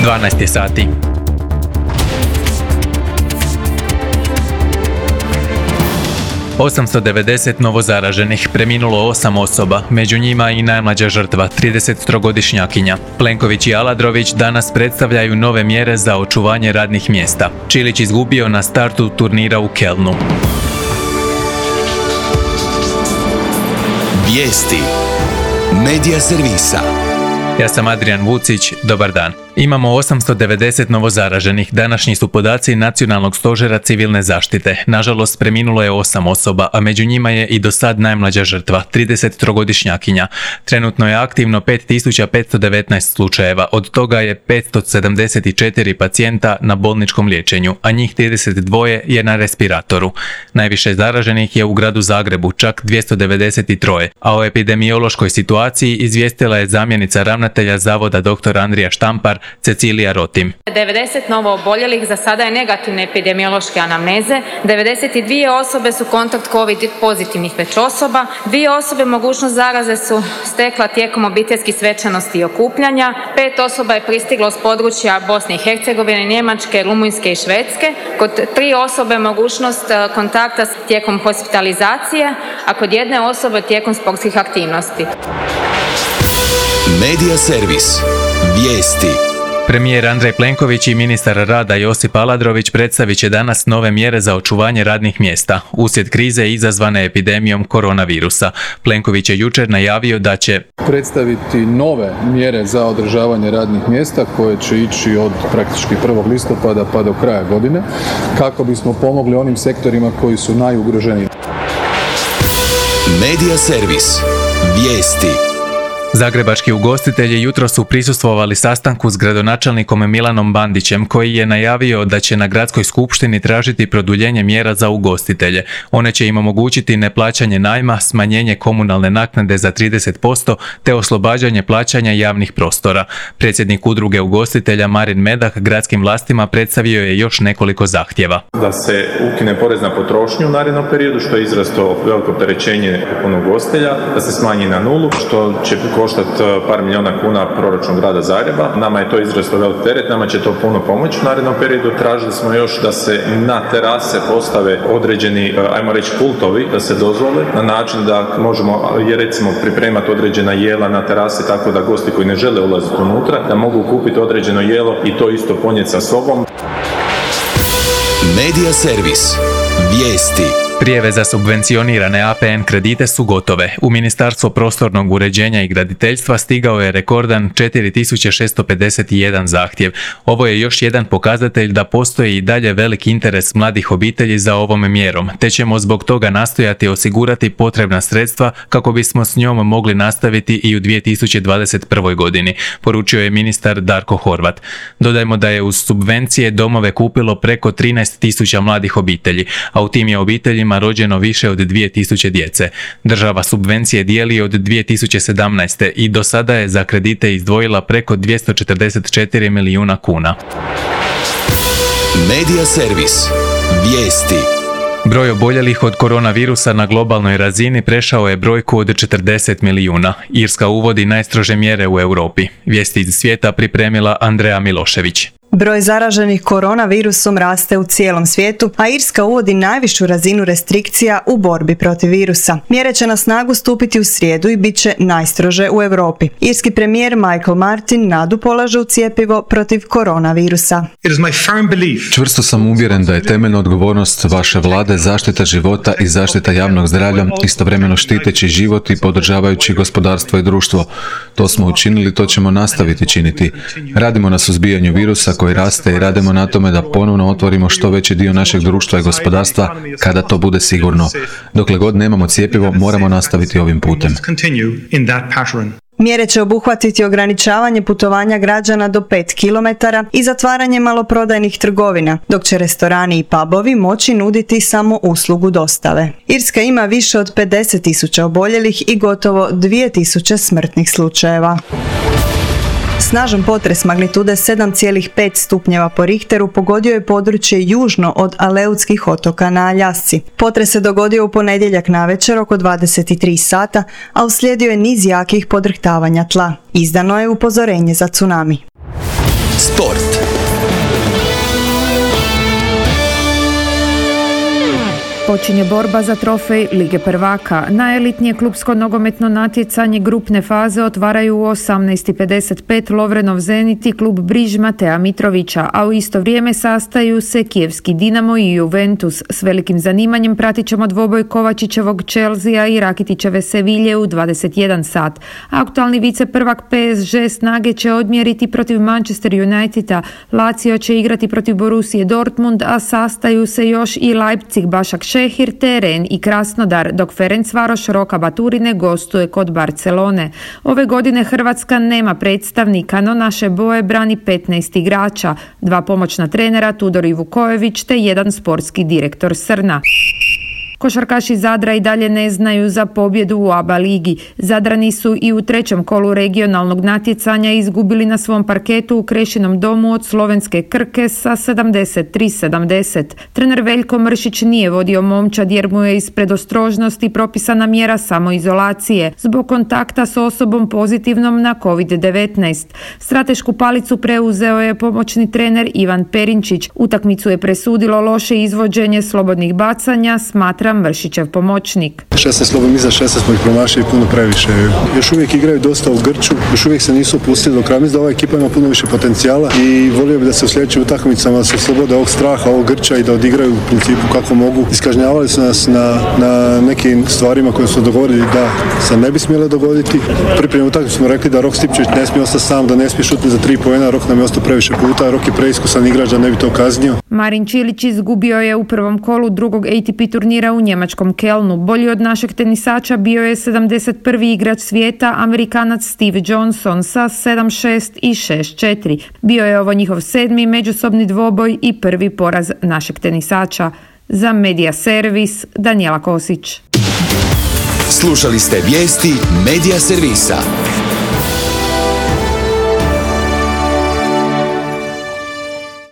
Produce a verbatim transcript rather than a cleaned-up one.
dvanaest je sati. osamsto devedeset novozaraženih, preminulo osam osoba, među njima i najmlađa žrtva, tridesettrogodišnjakinja. Plenković i Aladrović danas predstavljaju nove mjere za očuvanje radnih mjesta. Čilić izgubio na startu turnira u Kelnu. Vijesti Medija servisa. Ja sam Adrian Vucić, dobar dan. Imamo osamsto devedeset novozaraženih, današnji su podaci Nacionalnog stožera civilne zaštite. Nažalost, preminulo je osam osoba, a među njima je i do sad najmlađa žrtva, tridesettrogodišnjakinja. Trenutno je aktivno pet tisuća petsto devetnaest slučajeva, od toga je petsto sedamdeset četiri pacijenta na bolničkom liječenju, a njih trideset dva je na respiratoru. Najviše zaraženih je u gradu Zagrebu, čak dvjesto devedeset tri, a o epidemiološkoj situaciji izvijestila je zamjenica ravnatelja Zavoda dr. Andrija Štampar, Cecilija Rotim. devedeset novo oboljelih za sada je negativne epidemiološke anamneze, devedeset dvije osobe su kontakt COVID pozitivnih već osoba, dvije osobe mogućnost zaraze su stekla tijekom obiteljskih svečanosti i okupljanja, pet osoba je pristiglo s područja Bosne i Hercegovine, Njemačke, Rumunjske i Švedske, kod tri osobe mogućnost kontakta tijekom hospitalizacije, a kod jedne osobe tijekom sportskih aktivnosti. Medija servis. Vijesti. Premijer Andrej Plenković i ministar rada Josip Aladrović predstavit će danas nove mjere za očuvanje radnih mjesta uslijed krize izazvane epidemijom koronavirusa. Plenković je jučer najavio da će predstaviti nove mjere za održavanje radnih mjesta koje će ići od praktički prvog listopada pa do kraja godine, kako bismo pomogli onim sektorima koji su najugroženiji. Medija servis. Vijesti. Zagrebački ugostitelji jutro su prisustvovali sastanku s gradonačelnikom Milanom Bandićem, koji je najavio da će na gradskoj skupštini tražiti produljenje mjera za ugostitelje. One će im omogućiti neplaćanje najma, smanjenje komunalne naknade za trideset posto te oslobađanje plaćanja javnih prostora. Predsjednik udruge ugostitelja Marin Medak gradskim vlastima predstavio je još nekoliko zahtjeva. Da se ukine porez na potrošnju u narednom periodu, što je izrasto veliko opterećenje ugostitelja, da se smanji na nulu, što će koštati par milijuna kuna proračun grada Zagreba. Nama je to izrazito velik teret, nama će to puno pomoći u narednom periodu. Tražili smo još da se na terase postave određeni, ajmo reći, pultovi, da se dozvole na način da možemo, recimo, pripremati određena jela na terasi tako da gosti koji ne žele ulaziti unutra, da mogu kupiti određeno jelo i to isto ponijeti sa sobom. Medija servis. Vijesti. Prijave za subvencionirane A P N kredite su gotove. U Ministarstvo prostornog uređenja i graditeljstva stigao je rekordan četiri tisuće šesto pedeset jedan zahtjev. Ovo je još jedan pokazatelj da postoji i dalje velik interes mladih obitelji za ovom mjerom, te ćemo zbog toga nastojati osigurati potrebna sredstva kako bismo s njom mogli nastaviti i u dvije tisuće dvadeset prvoj godini, poručio je ministar Darko Horvat. Dodajmo da je uz subvencije domove kupilo preko trinaest tisuća mladih obitelji, a u tim je obiteljima rođeno više od dvije tisuće djece. Država subvencije dijeli od dvije tisuće sedamnaeste. i do sada je za kredite izdvojila preko dvjesto četrdeset četiri milijuna kuna. Medija servis. Vijesti. Broj oboljelih od koronavirusa na globalnoj razini prešao je brojku od četrdeset milijuna. Irska uvodi najstrože mjere u Europi. Vijesti iz svijeta pripremila Andreja Milošević. Broj zaraženih koronavirusom raste u cijelom svijetu, a Irska uvodi najvišu razinu restrikcija u borbi protiv virusa. Mjere će na snagu stupiti u srijedu i bit će najstrože u Europi. Irski premijer Michael Martin nadu polaže u cjepivo protiv koronavirusa. Čvrsto sam uvjeren da je temeljna odgovornost vaše vlade zaštita života i zaštita javnog zdravlja, istovremeno štiteći život i podržavajući gospodarstvo i društvo. To smo učinili, to ćemo nastaviti činiti. Radimo na suzbijanju virusa koji raste i radimo na tome da ponovno otvorimo što veći dio našeg društva i gospodarstva kada to bude sigurno. Dokle god nemamo cjepivo, moramo nastaviti ovim putem. Mjere će obuhvatiti ograničavanje putovanja građana do pet kilometara i zatvaranje maloprodajnih trgovina, dok će restorani i pubovi moći nuditi samo uslugu dostave. Irska ima više od pedeset tisuća oboljelih i gotovo dvije tisuće smrtnih slučajeva. Snažan potres magnitude sedam zarez pet stupnjeva po Richteru pogodio je područje južno od Aleutskih otoka na Aljasci. Potres se dogodio u ponedjeljak navečer oko dvadeset tri sata, a uslijedio je niz jakih podrhtavanja tla. Izdano je upozorenje za tsunami. Sport. Počinje borba za trofej Lige prvaka. Najelitnije klupsko nogometno natjecanje grupne faze otvaraju u osamnaest i pedeset pet Lovrenov Zenit i klub Briž Matea Mitrovića, a u isto vrijeme sastaju se kijevski Dinamo i Juventus. S velikim zanimanjem pratit ćemo dvoboj Kovačićevog Chelsea i Rakitićeve Sevilje u dvadeset jedan sat. Aktualni viceprvak P S G Snage će odmjeriti protiv Manchester Uniteda, Lazio će igrati protiv Borussije Dortmund, a sastaju se još i Leipzig, Bašak Šehir, Teren i Krasnodar, dok Ferencvaroš Roka Baturine gostuje kod Barcelone. Ove godine Hrvatska nema predstavnika, no naše boje brani petnaest igrača, dva pomoćna trenera Tudor i Vukojević te jedan sportski direktor Srna. Košarkaši Zadra i dalje ne znaju za pobjedu u A B A ligi. Zadrani su i u trećem kolu regionalnog natjecanja izgubili na svom parketu u Krešinom domu od slovenske Krke sa sedamdeset tri sedamdeset. Trener Veljko Mršić nije vodio momčad jer mu je iz predostrožnosti propisana mjera samoizolacije zbog kontakta s osobom pozitivnom na kovid devetnaest. Stratešku palicu preuzeo je pomoćni trener Ivan Perinčić. Utakmicu je presudilo loše izvođenje slobodnih bacanja, smatra Mršićev pomoćnik. šesnaest slobodnih iza šesnaest smo ih promašili puno previše. Još uvijek igraju dosta u grču, još uvijek se nisu opustili do kraja. Mislim da ova ekipa ima puno više potencijala i volio bi da se u sljedećim utakmicama se oslobode ovog straha, ovog grča i da odigraju u principu kako mogu. Iskažnjavali su nas na, na nekim stvarima koje su dogovorili da se ne bi smjele dogoditi. Pripremljenu utakmicu smo rekli da Rok Stipčević ne smije ostati sam, da ne smije šutiti za tri poena. Rok nam je ostao previše puta, Rok je preiskusan igrač da ne bi to kaznio. Marin Čilić izgubio je u prvom kolu drugog A T P turnira u njemačkom Kelnu. Bolji od našeg tenisača bio je sedamdeset prvi igrač svijeta, Amerikanac Steve Johnson sa sedam šest i šest četiri. Bio je ovo njihov sedmi međusobni dvoboj i prvi poraz našeg tenisača. Za Medija Servis, Danijela Kosić. Slušali ste vijesti Medija Servisa.